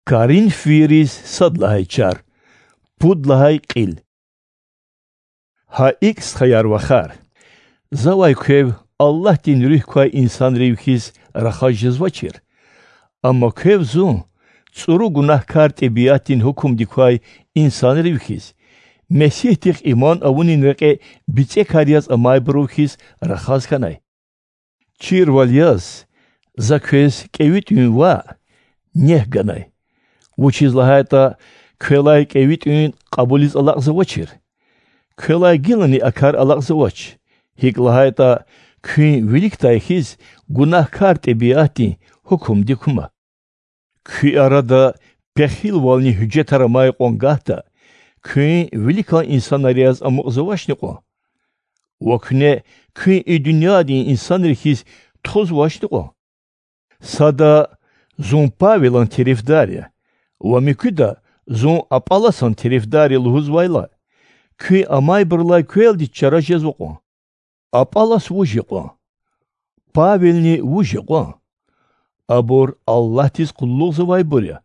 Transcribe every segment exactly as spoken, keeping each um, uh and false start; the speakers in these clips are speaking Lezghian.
Коринфвийриз сад лагьай чар, пуд лагьай кьил. Гьа икӀ, стхаяр-вахар, завай квев Аллагьдин Руьгь квай инсанрив хьиз рахаз жезвачир. Амма квев зун, цӀуру гунагькар тӀебиатдин гьукумдик квай инсанрив хьиз, Месигьдихъ иман авунин рекье бицӀекар яз амайбурув хьиз рахаз хьанай. Чирвал яз, за квез кӀеви тӀуьн ваъ, нек ганай. Вучиз лагьайтӀа квелай кӀеви тӀуьн кьабулиз алакьзавачир. Квелай гилани а кар алакьзавач, гьикӀ лагьайтӀа куьн виликдай хьиз гунагькар тӀебиатдин гьукумдик кума. Куь арада пехилвални гьуьжетар амай кьван гагьда, куьн виликан инсанар яз амукьзавачни кьван? Ва куьне куьн и дуьньядин инсанри хьиз тухузвачни кьван? Сада: зун Павелан терефдар я, ва муькуьда: зун Аполлосан терефдар я лугьузвайла, куьн амайбурулай квелди чара жезва кьван. Аполлос вуж я кьван? Павелни вуж я кьван? Абур Аллагьдиз къуллугъзавайбур я.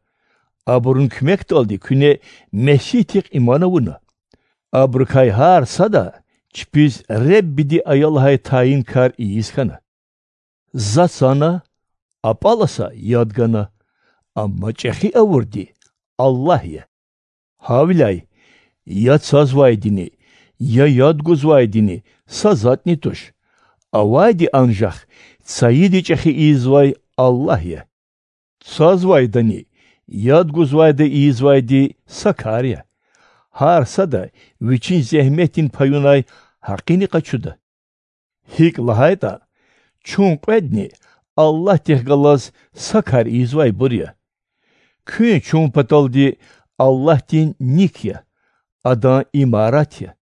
Абурун куьмекдалди куьне Месигьдихъ иман авуна. Абурукай гьар сада чпиз Реббиди ая лагьай тайин кар ийиз хьана. За цана, Аполлоса яд гана, амма чӀехи авурди Аллагь я. Гьавиляй я цазвайдини, я яд гузвайдини са затӀни туш. Авайди анжах цайиди чӀехи ийизвай Аллагь я. Цазвайдани, яд гузвайда ийизвайди са кар я. Гьар сада вичин зегьметдин паюнай гьакъини къачуда. ГьикӀ лагьайтӀа, чун кьведни Аллагьдихъ галаз са кар ийизвайбур я. Куьн чун паталди Аллагьдин ник я, Адан имарат я.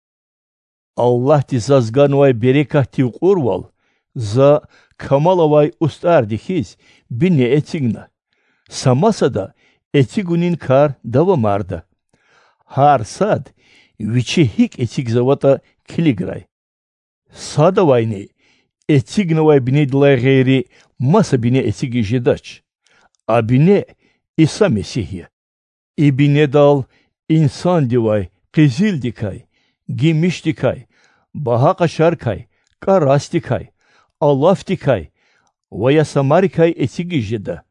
Аллагьди заз ганвай берекатдив кьурвал за камал авай устӀарди хьиз бине эцигна. Са масада эцигунин кар давамарда. Гьар сад вичи гьикӀ эцигзаватӀа килиграй. Садавайни эцигнавай бинедилай гъейри маса бине эцигиз жедач. А бине Иса Месигь я. И бинедал инсандивай къизилдикай, гимишдикай, багьа къашарикай, кӀарасдикай, алафдикай ва я самарикай эцигиз жеда.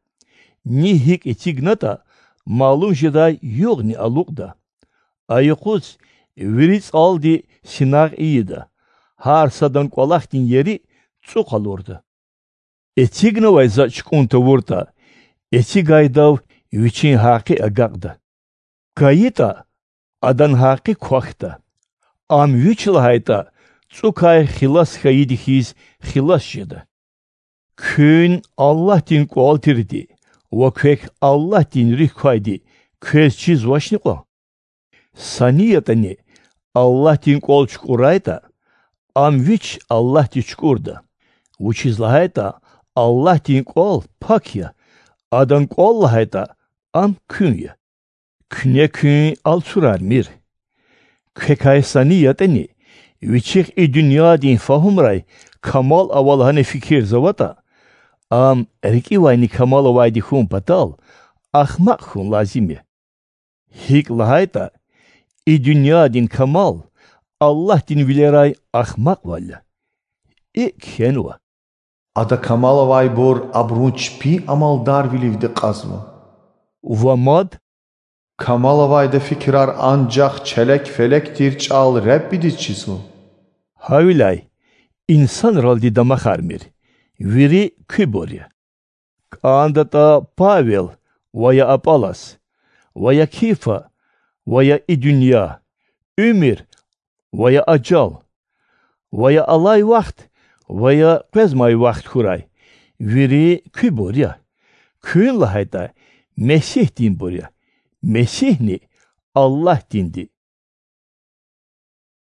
Ни гьикӀ эцигнатӀа, малум жедай югъни алукьда. А юкъуз вири цӀалди синагъ ийида, гьар садан кӀвалахдин ери цӀу къалурда. Эцигнавай затӀ чукӀун тавуртӀа, эцигайдав вичин гьакъи агакьда. КайитӀа, адан гьакъи квахьда. Ам вич лагьайтӀа, цӀукай хилас хьайиди хьиз хилас жеда. Куьн Аллагьдин кӀвал тирди ва квек Аллагьдин Руьгь квайди квез чизвачни кьван? Са ни ятӀани Аллагьдин кӀвал чукӀурайтӀа, ам вич Аллагьдиз чукӀурда, вучиз лагьайтӀа Аллагьдин кӀвал пак я, Адан кӀвал лагьайтӀа, ам куьн я. Куьне куьн алцурармир. Квекай са ни ятӀани, вичихъ и дуьньядин фагьумрай камал ава лагьана фикирзаватӀа, ам рикӀивайни камал авайди хьун патал ахмакь хьун лазим я. ГьикӀ лагьайтӀа, и дуьньядин камал Аллагьдин вилерай ахмакьвал я. ИкӀ кхьенва: Ада камал авайбур абурун чпин амалдарвиливди кьазва. Ва мад: Камал авайда фикирар анжах челек-фелек тир чӀал Реббидиз чизва. Гьавиляй инсанралди дамахармир, вири куьбур я. КӀандатӀа Павел ва я Аполлос, ва я Кифа, ва я и дуьнья, уьмуьр ва я ажал, ва я алай вахт, ва я къвезмай вахт хьурай, вири куьбур я. Куьн лагьайтӀа, Месигьдинбур я, Месигьни Аллагьдинди.